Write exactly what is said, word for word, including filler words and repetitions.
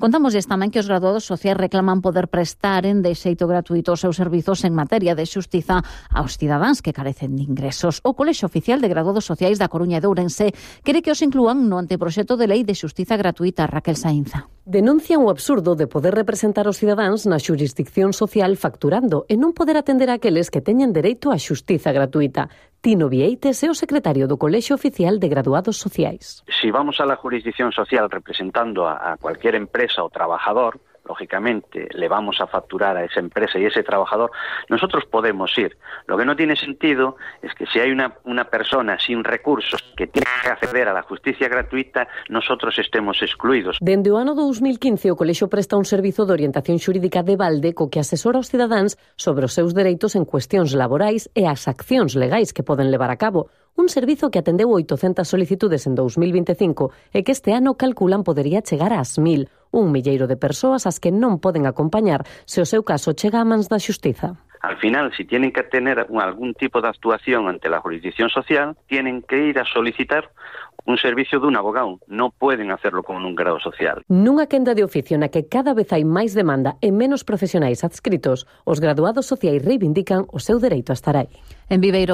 Contámoslles tamén que os graduados sociais reclaman poder prestaren de xeito gratuito os seus servizos en materia de xustiza aos cidadáns que carecen de ingresos. O Colexio Oficial de Graduados Sociais da Coruña e de Ourense quere que os inclúan no anteproxecto de lei de xustiza gratuita. Raquel Sainza. Denuncian o absurdo de poder representar os cidadáns na xurisdicción social facturando e non poder atender a aqueles que teñen dereito á xustiza gratuita. Tino Vieites é o secretario do Colexio Oficial de Graduados Sociais. Si vamos a la jurisdicción social representando a, a cualquier empresa o trabajador, lógicamente le vamos a facturar a esa empresa y ese trabajador, nosotros podemos ir. Lo que no tiene sentido es que si hay una, una persona sin recursos que tiene que acceder a la justicia gratuita, nosotros estemos excluidos. Dende o ano dos mil quince, o Colexio presta un servizo de orientación xurídica de balde co que asesora os cidadáns sobre os seus dereitos en cuestións laborais e as accións legais que poden levar a cabo. Un servizo que atendeu oitocentas solicitudes en dos mil vinte e cinco e que este ano calculan podería chegar ás mil. Un milleiro de persoas as que non poden acompañar se o seu caso chega a mans da xustiza. Al final, si tienen que tener algún tipo de actuación ante la jurisdicción social, tienen que ir a solicitar un servicio de un abogado. No pueden hacerlo con un grado social. Nunha quenda de oficio na que cada vez hai máis demanda e menos profesionais adscritos, os graduados sociais reivindican o seu dereito a estar aí. En Viveiro